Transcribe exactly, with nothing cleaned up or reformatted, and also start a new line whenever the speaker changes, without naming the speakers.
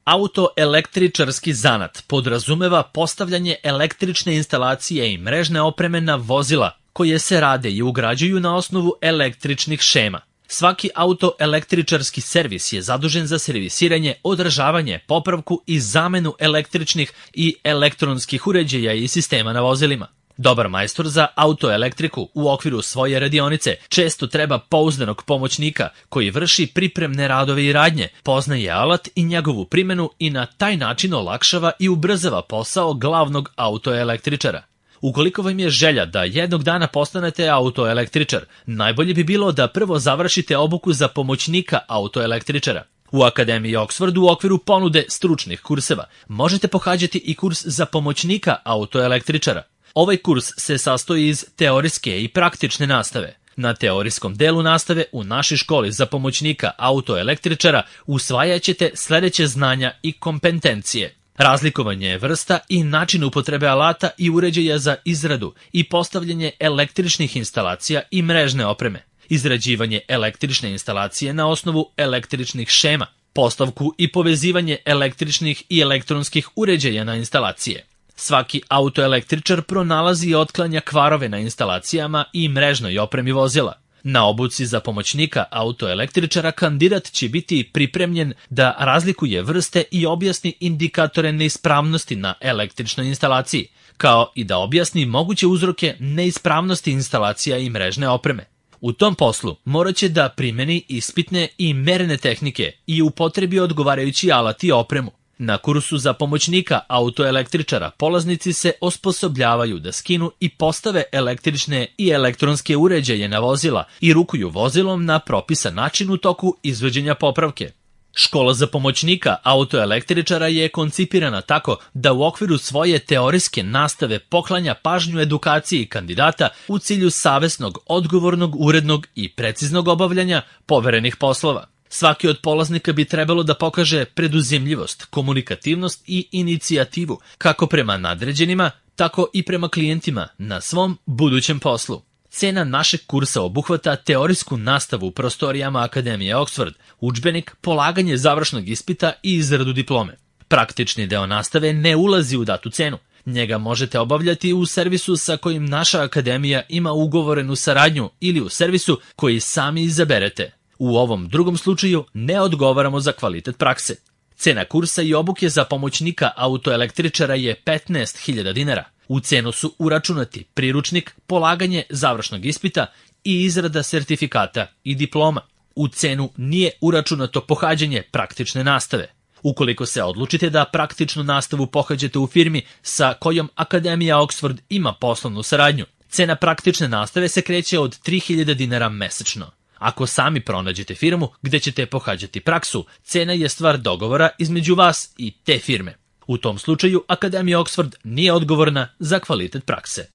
Autoelektričarski zanat podrazumeva postavljanje električne instalacije i mrežne opreme na vozila koje se rade i ugrađuju na osnovu električnih šema. Svaki autoelektričarski servis je zadužen za servisiranje, održavanje, popravku i zamenu električnih i elektronskih uređaja i sistema na vozilima. Dobar majstor za autoelektriku u okviru svoje radionice često treba pouzdanog pomoćnika koji vrši pripremne radove i radnje, poznaje alat i njegovu primjenu i na taj način olakšava i ubrzava posao glavnog autoelektričara. Ukoliko vam je želja da jednog dana postanete autoelektričar, najbolje bi bilo da prvo završite obuku za pomoćnika autoelektričara. U Akademiji Oxford u okviru ponude stručnih kurseva možete pohađati i kurs za pomoćnika autoelektričara. Ovaj kurs se sastoji iz teorijske i praktične nastave. Na teorijskom delu nastave u našoj školi za pomoćnika autoelektričara usvajat ćete sledeće znanja i kompetencije. Razlikovanje vrsta i način upotrebe alata i uređaja za izradu i postavljanje električnih instalacija i mrežne opreme. Izrađivanje električne instalacije na osnovu električnih šema. Postavku i povezivanje električnih i elektronskih uređaja na instalacije. Svaki autoelektričar pronalazi i otklanja kvarove na instalacijama i mrežnoj opremi vozila. Na obuci za pomoćnika autoelektričara kandidat će biti pripremljen da razlikuje vrste i objasni indikatore neispravnosti na električnoj instalaciji, kao i da objasni moguće uzroke neispravnosti instalacija i mrežne opreme. U tom poslu morat će da primeni ispitne i merene tehnike i upotrebi odgovarajući alat i opremu. Na kursu za pomoćnika autoelektričara polaznici se osposobljavaju da skinu i postave električne i elektronske uređaje na vozila i rukuju vozilom na propisan način u toku izvođenja popravke. Škola za pomoćnika autoelektričara je koncipirana tako da u okviru svoje teorijske nastave poklanja pažnju edukaciji kandidata u cilju savesnog, odgovornog, urednog i preciznog obavljanja poverenih poslova. Svaki od polaznika bi trebalo da pokaže preduzimljivost, komunikativnost i inicijativu kako prema nadređenima, tako i prema klijentima na svom budućem poslu. Cena našeg kursa obuhvata teorijsku nastavu u prostorijama Akademije Oxford, udžbenik, polaganje završnog ispita i izradu diplome. Praktični deo nastave ne ulazi u datu cenu. Njega možete obavljati u servisu sa kojim naša akademija ima ugovorenu saradnju ili u servisu koji sami izaberete. U ovom drugom slučaju ne odgovaramo za kvalitet prakse. Cena kursa i obuke za pomoćnika autoelektričara je petnaest hiljada dinara. U cenu su uračunati priručnik, polaganje završnog ispita i izrada sertifikata i diploma. U cenu nije uračunato pohađanje praktične nastave. Ukoliko se odlučite da praktičnu nastavu pohađate u firmi sa kojom Akademija Oxford ima poslovnu saradnju, cena praktične nastave se kreće od tri hiljade dinara mesečno. Ako sami pronađete firmu gde ćete pohađati praksu, cena je stvar dogovora između vas i te firme. U tom slučaju Akademija Oxford nije odgovorna za kvalitet prakse.